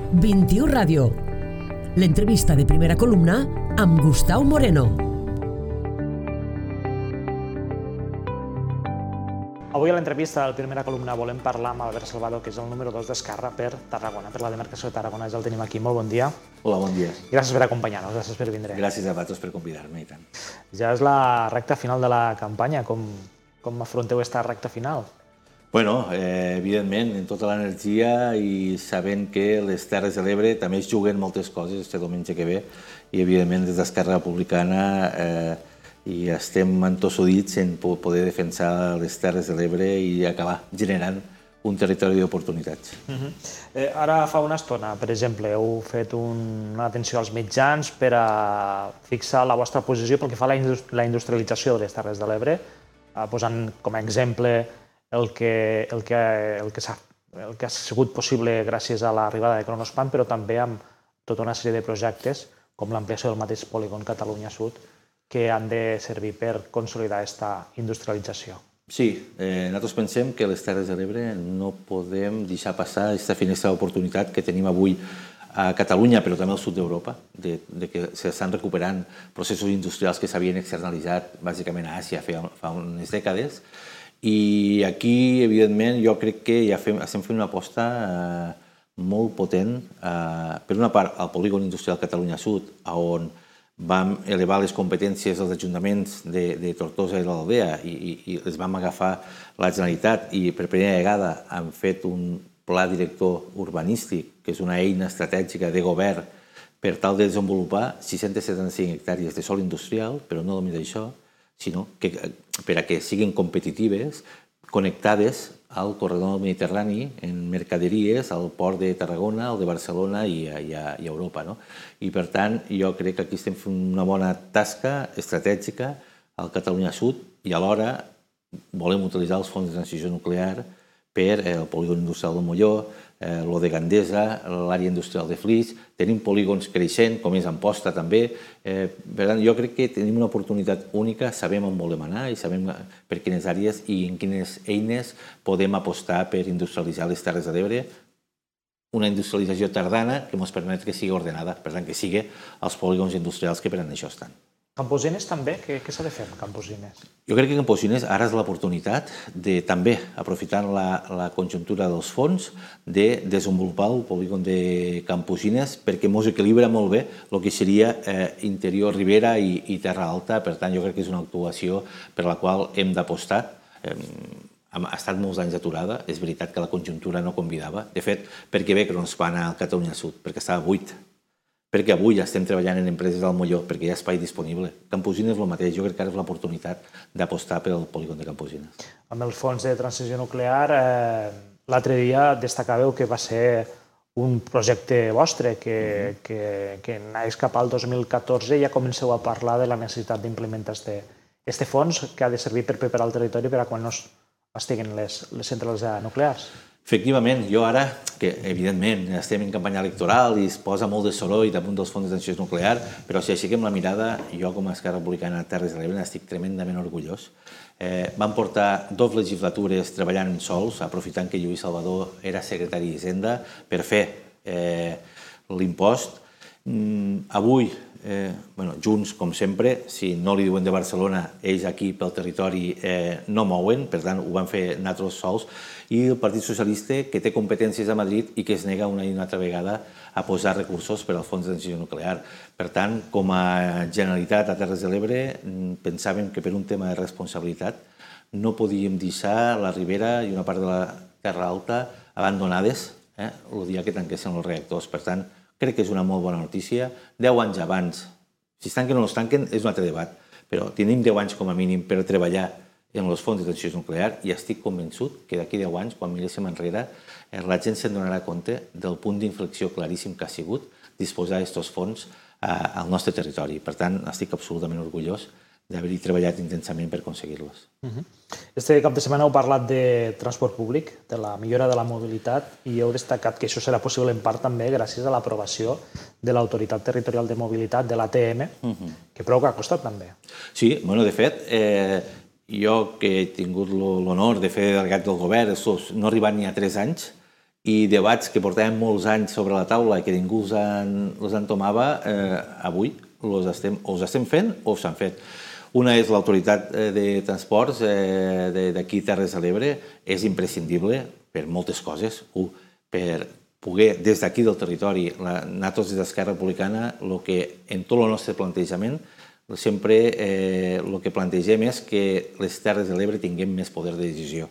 21 Ràdio. L'entrevista de primera columna amb Gustau Moreno. Avui a l'entrevista de la primera columna volem parlar amb Albert Salvador, que és el número 2 d'Esquerra per Tarragona, per la demarcació de Tarragona. Ja el tenim aquí. Molt bon dia. Hola, bon dia. Gràcies per acompanyar-nos, gràcies per vindre. Gràcies a vosaltres per convidar-me, i tant. Ja és la recta final de la campanya. Com afronteu aquesta recta final? Bueno, evidentment, amb tota l'energia i sabent que les Terres de l'Ebre també es juguen moltes coses este diumenge que ve i, evidentment, des d'Esquerra Republicana i estem entossudits en poder defensar les Terres de l'Ebre i acabar generant un territori d'oportunitats. Ara fa una estona, per exemple, heu fet una atenció als mitjans per a fixar la vostra posició pel que fa a la industrialització de les Terres de l'Ebre, posant com a exemple el que ha sigut possible gràcies a l'arribada de Kronospan, però també amb tota una sèrie de projectes, com l'ampliació del mateix polígon Catalunya Sud, que han de servir per consolidar aquesta industrialització. Sí, nosaltres pensem que les Terres de l'Ebre no podem deixar passar aquesta finestra d'oportunitat que tenim avui a Catalunya, però també al sud d'Europa, de que s'estan recuperant processos industrials que s'havien externalitzat bàsicament a Àsia fa unes dècades. I aquí, evidentment, jo crec que ja estem fent una aposta molt potent, per una part, al polígon industrial Catalunya Sud, on vam elevar les competències dels ajuntaments de Tortosa i l'Aldea i les vam agafar la Generalitat i per primera vegada han fet un pla director urbanístic, que és una eina estratègica de govern per tal de desenvolupar 675 hectàrees de sòl industrial, però no només això, sinó que per a que siguin competitives, connectades al corredor mediterrani en mercaderies, al port de Tarragona, al de Barcelona i a Europa. I, per tant, jo crec que aquí estem fent una bona tasca estratègica al Catalunya Sud i alhora volem utilitzar els fons de transició nuclear per el polígon industrial del Molló, lo de Gandesa, l'àrea industrial de Flix. Tenim polígons creixent, com és Amposta també. Per tant, jo crec que tenim una oportunitat única, sabem on volem anar i sabem per quines àrees i en quines eines podem apostar per industrialitzar les Terres de l'Ebre. Una industrialització tardana que ens permet que sigui ordenada, per tant, que sigui els polígons industrials que per a això estan. Camposines també? Què s'ha de fer amb Camposines? Jo crec que Camposines ara és l'oportunitat de també, aprofitant la conjuntura dels fons, de desenvolupar el polígon de Camposines perquè ens equilibra molt bé el que seria interior Ribera i Terra Alta. Per tant, jo crec que és una actuació per la qual hem d'apostar. Ha estat molts anys aturada. És veritat que la conjuntura no convidava. De fet, per què ve Kronospan al Catalunya Sud? Perquè estava buit. Perquè avui ja estem treballant en empreses del Molló, perquè hi ha espai disponible. Camposines és el mateix, jo crec que ara és l'oportunitat d'apostar pel polígon de Camposines. Amb els fons de transició nuclear, l'altre dia destacàveu que va ser un projecte vostre, que naix cap al 2014 i ja comenceu a parlar de la necessitat d'implementar este fons que ha de servir per preparar el territori per a quan no estiguin les centrals nuclears. Efectivament, jo ara, que evidentment estem en campanya electoral i es posa molt de soroll damunt dels fons de transició nuclear, però si aixequem la mirada, jo com a Esquerra Republicana de Terres de l'Ebre estic tremendament orgullós. Vam portar 2 legislatures treballant en sols, aprofitant que Lluís Salvador era secretari d'Hisenda, per fer l'impost. Avui, Junts, com sempre, si no li diuen de Barcelona, ells aquí pel territori no mouen, per tant ho van fer nosaltres sols, i el Partit Socialista, que té competències a Madrid i que es nega una i una altra vegada a posar recursos per al fons de transició nuclear. Per tant, com a Generalitat a Terres de l'Ebre, pensàvem que per un tema de responsabilitat no podíem deixar la Ribera i una part de la Terra Alta abandonades el dia que tanquessin els reactors. Per tant, crec que és una molt bona notícia. 10 anys abans, si es tanquen o no es tanquen, és un altre debat, però tenim 10 anys com a mínim per treballar en els fons de transició nuclear i estic convençut que d'aquí 10 anys, quan miréssim enrere, la gent se'n donarà compte del punt d'inflexió claríssim que ha sigut disposar d'aquests fons al nostre territori. Per tant, estic absolutament orgullós d'haver-hi treballat intensament per aconseguir-los. Este cap de setmana heu parlat de transport públic, de la millora de la mobilitat, i heu destacat que això serà possible en part també gràcies a l'aprovació de l'Autoritat Territorial de Mobilitat, de l'ATM, que prou que ha costat també. Sí, de fet, jo que he tingut l'honor de fer delegat del govern, no he arribat ni a 3 anys, i debats que portàvem molts anys sobre la taula i que ningú els entomava, avui els estem fent o s'han fet. Una és l'autoritat de transports d'aquí Terres de l'Ebre, és imprescindible per moltes coses. Per poder, des d'aquí del territori, nosaltres des d'Esquerra Republicana, en tot el nostre plantejament, sempre el que plantegem és que les Terres de l'Ebre tinguem més poder de decisió.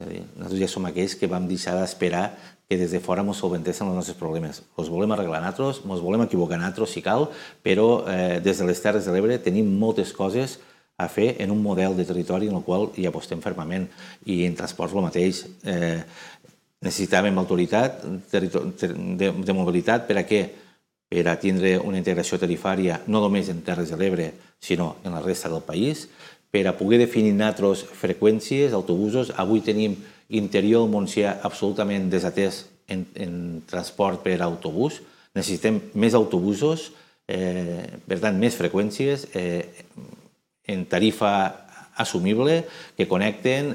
Nosaltres ja som aquells que vam deixar d'esperar que des de fora ens solventessin els nostres problemes. Els volem arreglar nosaltres, ens volem equivocar nosaltres si cal, però des de les Terres de l'Ebre tenim moltes coses a fer en un model de territori en el qual hi apostem fermament. I en transports el mateix. Necessitàvem autoritat de mobilitat per a què? Per a tindre una integració tarifària no només en Terres de l'Ebre, sinó en la resta del país, per a poder definir nosaltres freqüències, autobusos. Avui tenim interior del Montsià absolutament desatès en transport per autobús. Necessitem més autobusos, per tant, més freqüències en tarifa assumible, que connecten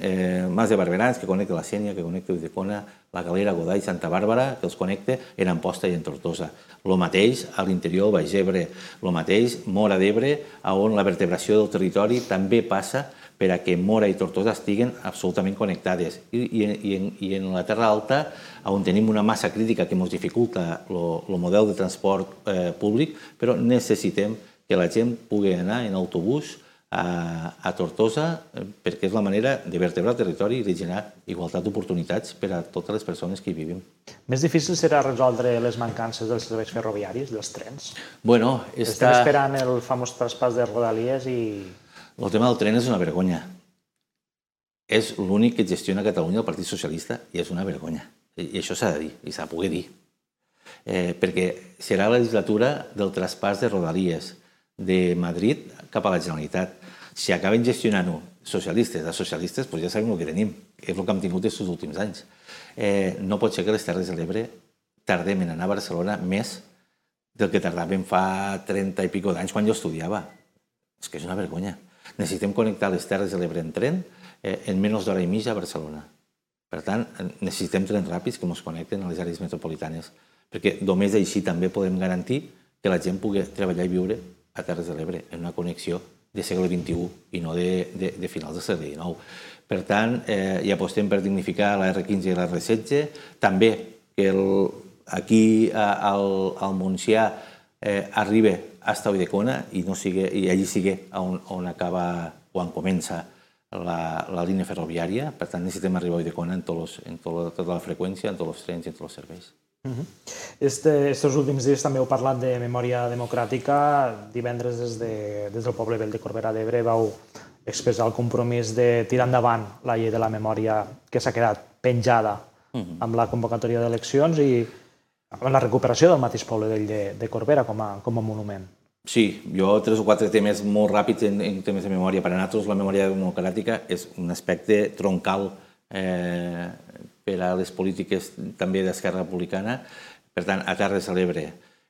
Mas de Barberans, que connecta la Sénia, que connecta Ulldecona, la Galera, Godall, Santa Bàrbara, que els connecta en Amposta i en Tortosa. El mateix a l'interior del Baix Ebre, el mateix Móra d'Ebre, on la vertebració del territori també passa per a que Móra i Tortosa estiguen absolutament connectades. I en la Terra Alta, on tenim una massa crítica que ens dificulta el model de transport públic, però necessitem que la gent pugui anar en autobús a Tortosa perquè és la manera de vertebrar el territori i de generar igualtat d'oportunitats per a totes les persones que hi vivim. Més difícil serà resoldre les mancances dels serveis ferroviaris, dels trens? Bueno, estem esperant el famós traspàs de Rodalies i... El tema del tren és una vergonya. És l'únic que gestiona a Catalunya el Partit Socialista i és una vergonya. I això s'ha de dir, i s'ha de poder dir. Perquè serà la legislatura del traspàs de Rodalies de Madrid cap a la Generalitat. Si acaben gestionant-ho socialistes a socialistes, doncs ja sabem el que tenim. És el que hem tingut aquests últims anys. No pot ser que les Terres de l'Ebre tardem en anar a Barcelona més del que tardàvem fa 30 i pico d'anys quan jo estudiava. És que és una vergonya. Necessitem connectar les Terres de l'Ebre en tren en menys d'hora i mitja a Barcelona. Per tant, necessitem trens ràpids que ens connecten a les àrees metropolitanes, perquè només així també podem garantir que la gent pugui treballar i viure a Terres de l'Ebre, en una connexió de segle XXI i no de finals del segle XIX. Per tant, hi apostem per dignificar la R15 i la R16, també que aquí al Montsià arribi fins a Ulldecona i allí sigui on acaba, on comença la línia ferroviària. Per tant, necessitem arribar a Ulldecona en tota la freqüència, en tots els trens i en tots els serveis. Estos últims dies també heu parlat de memòria democràtica. Divendres des del poble vell de Corbera d'Ebre vau expressar el compromís de tirar endavant la llei de la memòria que s'ha quedat penjada amb la convocatòria d'eleccions i amb la recuperació del mateix poble vell de Corbera com a monument. Sí, jo 3 o 4 temes molt ràpids en temes de memòria. Per a nosaltres la memòria democràtica és un aspecte troncal per a les polítiques també d'Esquerra Republicana. Per tant, a Terres de l'Ebre,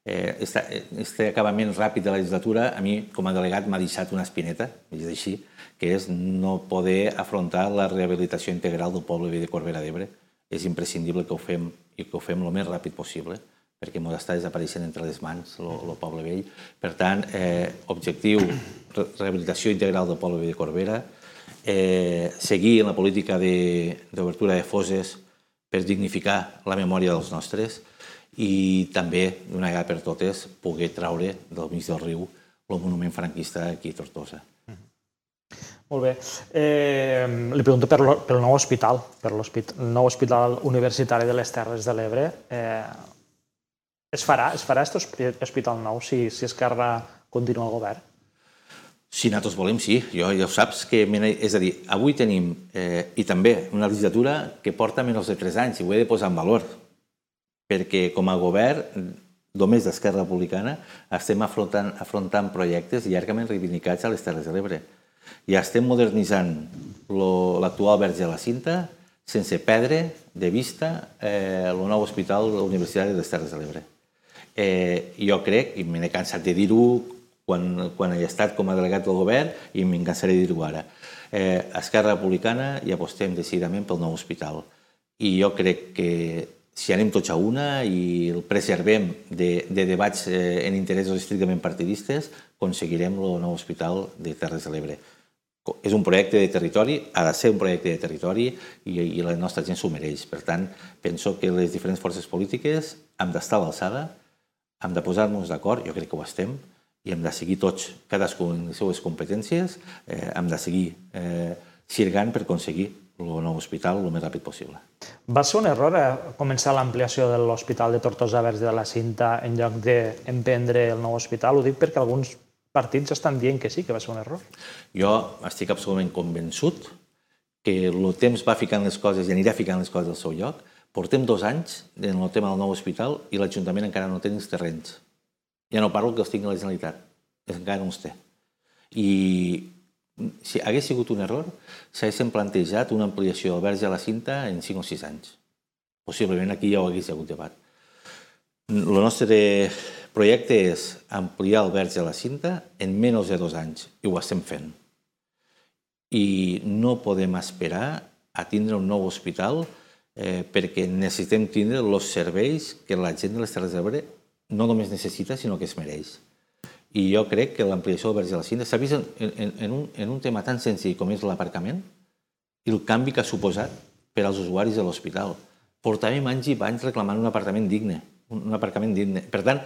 aquest acabament ràpid de la legislatura, a mi, com a delegat, m'ha deixat una espineta, és així, que és no poder afrontar la rehabilitació integral del poble de Corbera d'Ebre. És imprescindible que ho fem i que ho fem el més ràpid possible, perquè ens està desapareixent entre les mans el poble vell. Per tant, objectiu, rehabilitació integral del poble de Corbera, seguir en la política d'obertura de fosses per dignificar la memòria dels nostres i també, d'una vegada per totes, poder traure del mig del riu el monument franquista aquí a Tortosa. Molt bé. Li pregunto pel nou hospital, per el nou hospital universitari de les Terres de l'Ebre. Es farà aquest hospital nou si Esquerra continua al govern? Si nosaltres volem, sí. Ja ho saps. És a dir, avui tenim, i també, una legislatura que porta menys de 3 anys, i ho he de posar en valor, perquè com a govern, només d'Esquerra Republicana, estem afrontant projectes llargament reivindicats a les Terres de l'Ebre. I estem modernitzant l'actual Verge de la Cinta sense perdre de vista el nou hospital universitari de les Terres de l'Ebre. Jo crec, i me n'he cansat de dir-ho quan he estat com a delegat del govern, i me'n cansaré de dir-ho ara, a Esquerra Republicana hi apostem decididament pel nou hospital. I jo crec que si anem tots a una i el preservem de debats en interessos estrictament partidistes, aconseguirem el nou hospital de Terres de l'Ebre. És un projecte de territori, ha de ser un projecte de territori i la nostra gent s'ho mereix. Per tant, penso que les diferents forces polítiques hem d'estar a l'alçada, hem de posar-nos d'acord, jo crec que ho estem, i hem de seguir tots, cadascú en les seues competències, hem de seguir xirgant per aconseguir el nou hospital el més ràpid possible. Va ser un error començar l'ampliació de l'Hospital de Tortosa Verge de la Cinta en lloc d'emprendre el nou hospital? Ho dic perquè alguns partits estan dient que sí, que va ser un error. Jo estic absolutament convençut que el temps va ficant les coses i anirà ficant les coses al seu lloc. Portem 2 anys en el tema del nou hospital i l'Ajuntament encara no té els terrenys. Ja no parlo que els tingui la Generalitat, encara no els té. I si hagués sigut un error, s'haguessin plantejat una ampliació del Verge a la Cinta en 5 o 6 anys. Possiblement aquí ja ho hagués hagut debat. El nostre projecte és ampliar el Verge a la Cinta en menys de 2 anys, i ho estem fent. I no podem esperar a tindre un nou hospital perquè necessitem tindre els serveis que la gent de les Terres de l'Ebre no només necessita, sinó que es mereix. I jo crec que l'ampliació del Verge de la Cinta s'ha vist en un tema tan senzill com és l'aparcament i el canvi que ha suposat per als usuaris de l'hospital. Portàvem anys i anys reclamant un aparcament digne. Per tant,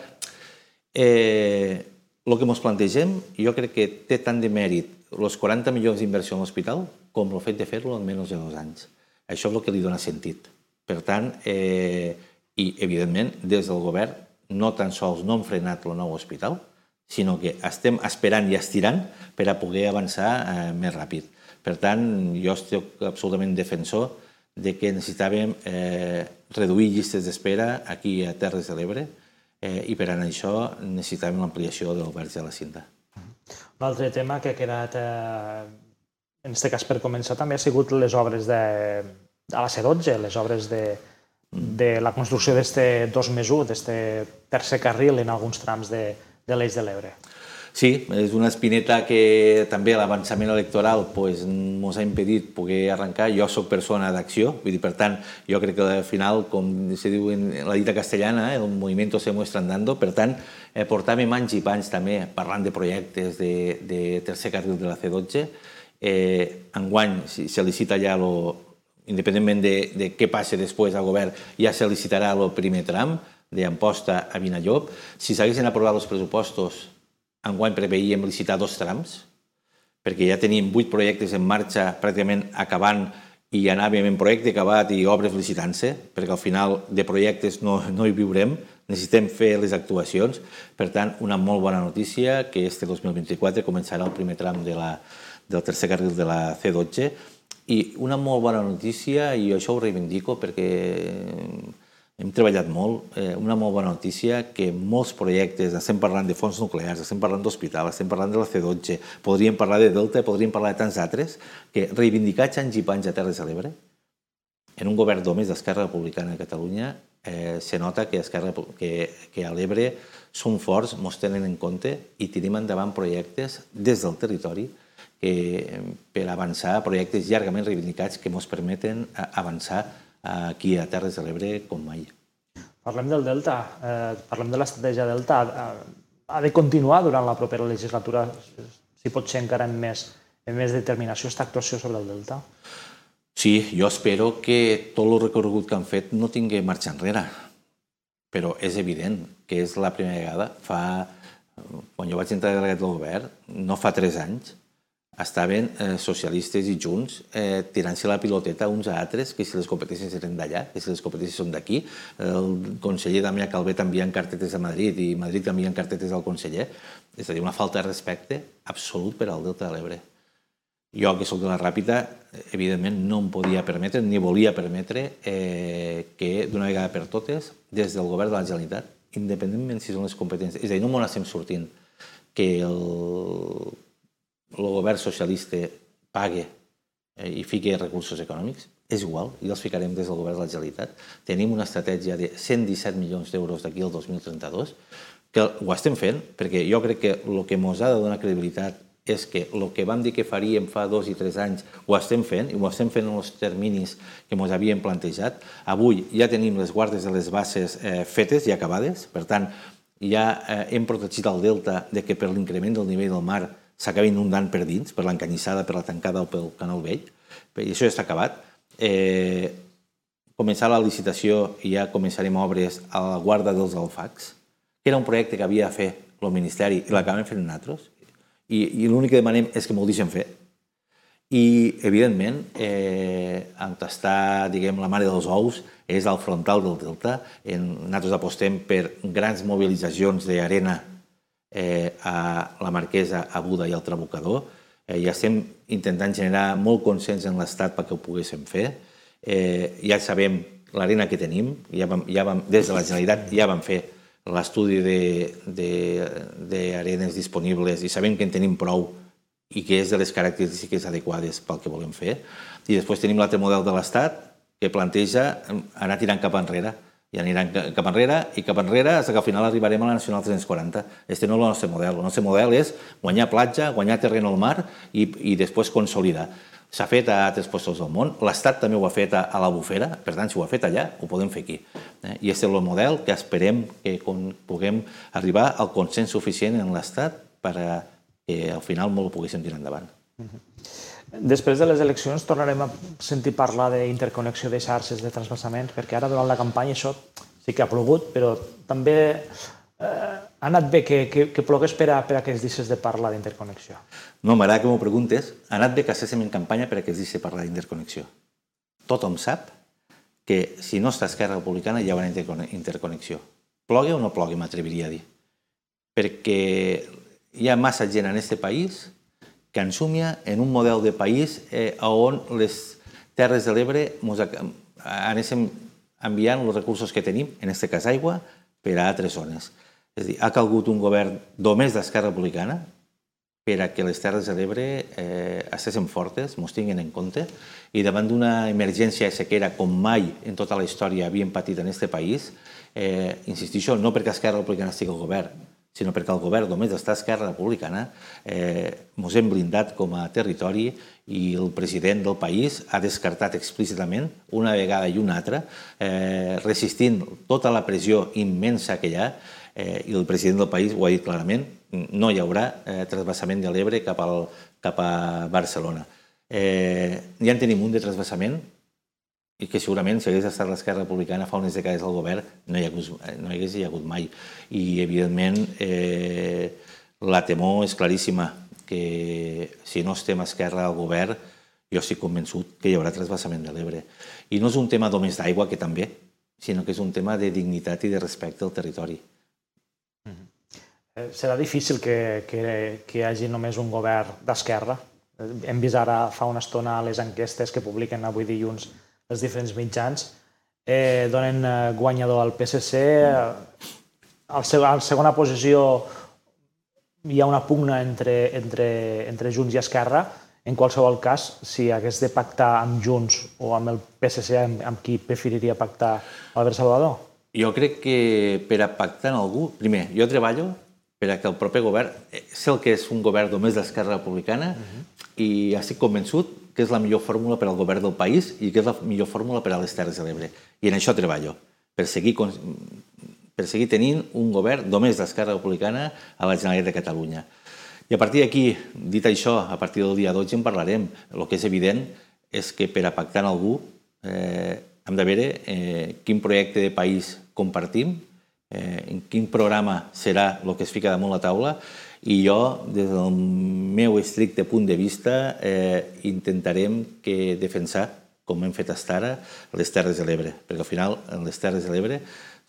el que ens plantegem, jo crec que té tant de mèrit els 40 milions d'inversió en l'hospital com el fet de fer-lo en menys de 2 anys. Això és el que li dona sentit. Per tant, i evidentment, des del govern, no tan sols no hem frenat el nou hospital, sinó que estem esperant i estirant per a poder avançar més ràpid. Per tant, jo estic absolutament defensor de que necessitàvem reduir llistes d'espera aquí a Terres de l'Ebre i per a això necessitàvem l'ampliació del Verge de la Cinta. Un altre tema que ha quedat, en aquest cas per començar, també ha sigut les obres a la C12, les obres de la construcció d'aquest 2+1, d'aquest tercer carril en alguns trams de l'Eix de l'Ebre. Sí, és una espineta que també l'avançament electoral ens ha impedit poder arrencar. Jo soc persona d'acció, per tant, jo crec que al final, com se diu en la dita castellana, el movimiento se muestra andando. Per tant, portàvem anys i panys també parlant de projectes de tercer carril de la C12. Enguany se licita ja, independentment de què passi després al govern, ja se licitarà el primer tram d'Amposta a Vinallop. Si s'haguessin aprovat els pressupostos, enguany preveíem licitar 2 trams, perquè ja teníem 8 projectes en marxa pràcticament acabant i anàvem en projecte acabat i obres licitant-se, perquè al final de projectes no hi viurem, necessitem fer les actuacions. Per tant, una molt bona notícia que este 2024 començarà el primer tram del tercer carril de la C12 i una molt bona notícia, i això ho reivindico perquè hem treballat molt, una molt bona notícia que molts projectes, estem parlant de fons nuclears, estem parlant d'hospital, estem parlant de la C12, podríem parlar de Delta, podríem parlar de tants altres, que reivindicats anys i panys a Terres de l'Ebre, en un govern d'homes d'Esquerra Republicana de Catalunya, se nota que a l'Ebre som forts, ens tenen en compte i tenim endavant projectes des del territori per avançar, projectes llargament reivindicats que ens permeten avançar aquí a Terres de l'Ebre com mai. Parlem del Delta, parlem de l'estratègia Delta. Ha de continuar durant la propera legislatura, si pot ser encara amb més determinació, aquesta actuació sobre el Delta? Sí, jo espero que tot el recorregut que han fet no tingui marxa enrere, però és evident que és la primera vegada. Quan jo vaig entrar delegat del govern, no fa 3 anys, estaven socialistes i Junts tirant-se la piloteta uns a altres, que si les competències eren d'allà, que si les competències són d'aquí. El conseller Damià Calvet enviant cartetes a Madrid i Madrid enviant cartetes al conseller. És a dir, una falta de respecte absolut per al Delta de l'Ebre. Jo, que soc de la Ràpita, evidentment no em podia permetre, ni volia permetre que d'una vegada per totes, des del govern de la Generalitat, independentment si són les competències, és a dir, no m'ho estem sortint, que el govern socialista pague i fiqui recursos econòmics, és igual, i els ficarem des del govern de la Generalitat. Tenim una estratègia de 117 milions d'euros d'aquí al 2032, que ho estem fent, perquè jo crec que el que ens ha de donar credibilitat és que el que vam dir que faríem fa 2 i 3 anys ho estem fent, i ho estem fent en els terminis que ens havíem plantejat. Avui ja tenim les guardes de les basses fetes i acabades, per tant, ja hem protegit el delta de que per l'increment del nivell del mar s'acabi inundant per dins, per l'encanyissada, per la tancada o pel canal vell, i això ja està acabat. Començar la licitació i ja començarem obres a la guarda dels alfacs, que era un projecte que havia de fer el Ministeri i l'acabem fent nosaltres, i l'únic que demanem és que m'ho deixen fer. I, evidentment, on està, diguem, la mare dels ous és al frontal del delta. Nosaltres apostem per grans mobilitzacions d'arena a la Marquesa, a Buda i al Trabucador. Ja estem intentant generar molt consens en l'Estat perquè ho poguéssim fer. Ja sabem l'arena que tenim, des de la Generalitat ja vam fer l'estudi d'arenes disponibles i sabem que en tenim prou i que és de les característiques adequades pel que volem fer. I després tenim l'altre model de l'Estat que planteja anar tirant cap enrere. I aniran cap enrere i cap enrere fins que al final arribarem a la Nacional 340. Este no és el nostre model. El nostre model és guanyar platja, guanyar terreny al mar i després consolidar. S'ha fet a altres llocs del món, l'Estat també ho ha fet a la Bufera, per tant, si ho ha fet allà, ho podem fer aquí. I aquest és el model que esperem que puguem arribar al consens suficient en l'Estat perquè al final molt ho poguéssim tirar endavant. Després de les eleccions tornarem a sentir parlar d'interconnexió de xarxes de transvasaments, perquè ara durant la campanya això sí que ha plogut, però també ha anat bé que plogués per a que es deixés de parlar d'interconnexió. No, m'agrada que m'ho preguntes. Ha anat bé que estiguéssim en campanya per a que es deixés de parlar d'interconnexió. Tothom sap que si no està Esquerra Republicana hi haurà interconnexió. Plogui o no plogui, m'atreviria a dir. Perquè hi ha massa gent en aquest país que ensumia en un model de país on les Terres de l'Ebre anéssim enviant els recursos que tenim, en aquest cas aigua, per a altres zones. És a dir, ha calgut un govern només d'Esquerra Republicana per a que les Terres de l'Ebre estiguessin fortes, ens tinguin en compte, i davant d'una emergència de sequera com mai en tota la història havíem patit en aquest país, insistixo, no perquè Esquerra Republicana estigui al govern, sinó perquè el govern només està a Esquerra Republicana, ens hem blindat com a territori i el president del país ha descartat explícitament, una vegada i una altra, resistint tota la pressió immensa que hi ha, i el president del país ho ha dit clarament, no hi haurà transvasament de l'Ebre cap a Barcelona. Ja en tenim un de transvasament i que segurament si hagués estat l'Esquerra Republicana fa unes dècades al govern no hi hagués hagut mai. I, evidentment, la temor és claríssima que si no estem a Esquerra al govern jo estic convençut que hi haurà transvasament de l'Ebre. I no és un tema només d'aigua, que també, sinó que és un tema de dignitat i de respecte al territori. Serà difícil que hi hagi només un govern d'esquerra. Hem vist ara fa una estona les enquestes que publiquen avui dilluns els diferents mitjans. Donen guanyador al PSC. A la segona posició hi ha una pugna entre Junts i Esquerra. En qualsevol cas, si hagués de pactar amb Junts o amb el PSC, amb qui preferiria pactar Albert Salvador? Jo crec que per a pactar amb algú... Primer, jo treballo per a que el proper govern... Sé el que és un govern només d'Esquerra Republicana i estic convençut que és la millor fórmula per al govern del país i que és la millor fórmula per a les Terres de l'Ebre. I en això treballo, per seguir tenint un govern només d'Esquerra Republicana a la Generalitat de Catalunya. I a partir d'aquí, dit això, a partir del dia 12 en parlarem. El que és evident és que per a pactar amb algú hem de veure quin projecte de país compartim, en quin programa serà el que es fica damunt la taula, i jo, des del meu estricte punt de vista, intentarem defensar, com hem fet fins ara, les Terres de l'Ebre, perquè al final les Terres de l'Ebre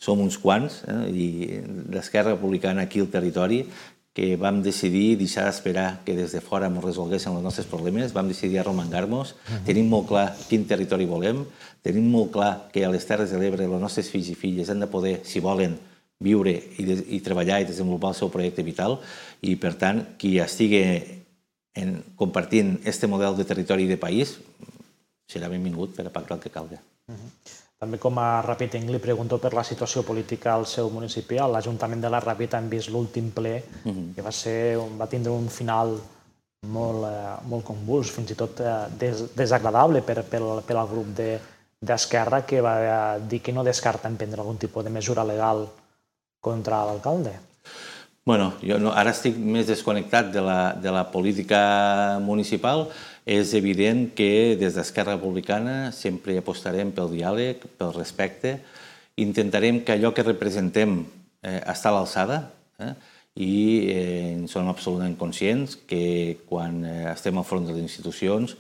som uns quants, i l'Esquerra Republicana aquí al territori, que vam decidir deixar d'esperar que des de fora ens resolguessin els nostres problemes, vam decidir arromangar-nos, tenim molt clar quin territori volem, tenim molt clar que a les Terres de l'Ebre els nostres fills i filles han de poder, si volen, viure i treballar i desenvolupar el seu projecte vital, i per tant, qui estigui compartint aquest model de territori i de país serà benvingut per a pactar el que calgui. També com a Ràpid li pregunto per la situació política al seu municipi. A l'Ajuntament de la Ràpid hem vist l'últim ple, que va tindre un final molt convuls, fins i tot desagradable per al grup d'Esquerra, que va dir que no descarten prendre algun tipus de mesura legal contra l'alcalde. Bueno, jo ara estic més desconnectat de la política municipal. És evident que des d'Esquerra Republicana sempre apostarem pel diàleg, pel respecte. Intentarem que allò que representem està a l'alçada i en som absolutament conscients que quan estem al front de les institucions,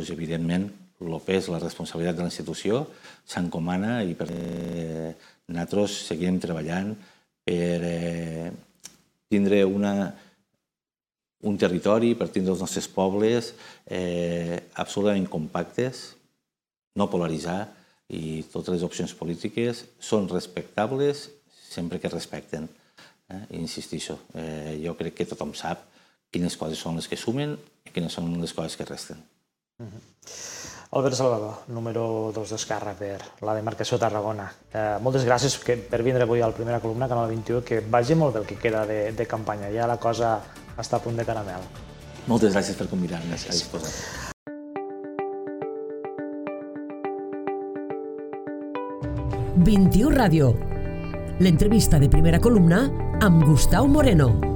evidentment, el pes, la responsabilitat de la institució s'encomana i nosaltres seguirem treballant per tindre un territori, per tindre els nostres pobles absolutament compactes, no polaritzar, i totes les opcions polítiques són respectables sempre que respecten. Insistixo, jo crec que tothom sap quines coses són les que sumen i quines són les coses que resten. Albert Salvador, número 2 d'Esquerra per la demarcació de Tarragona. Moltes gràcies per vindre avui a la primera columna, Canal 21, que vagi molt bé el que queda de campanya. Ja la cosa està a punt de caramel. Moltes gràcies per convidar-me a disposar. XXI Ràdio. L'entrevista de primera columna amb Gustau Moreno.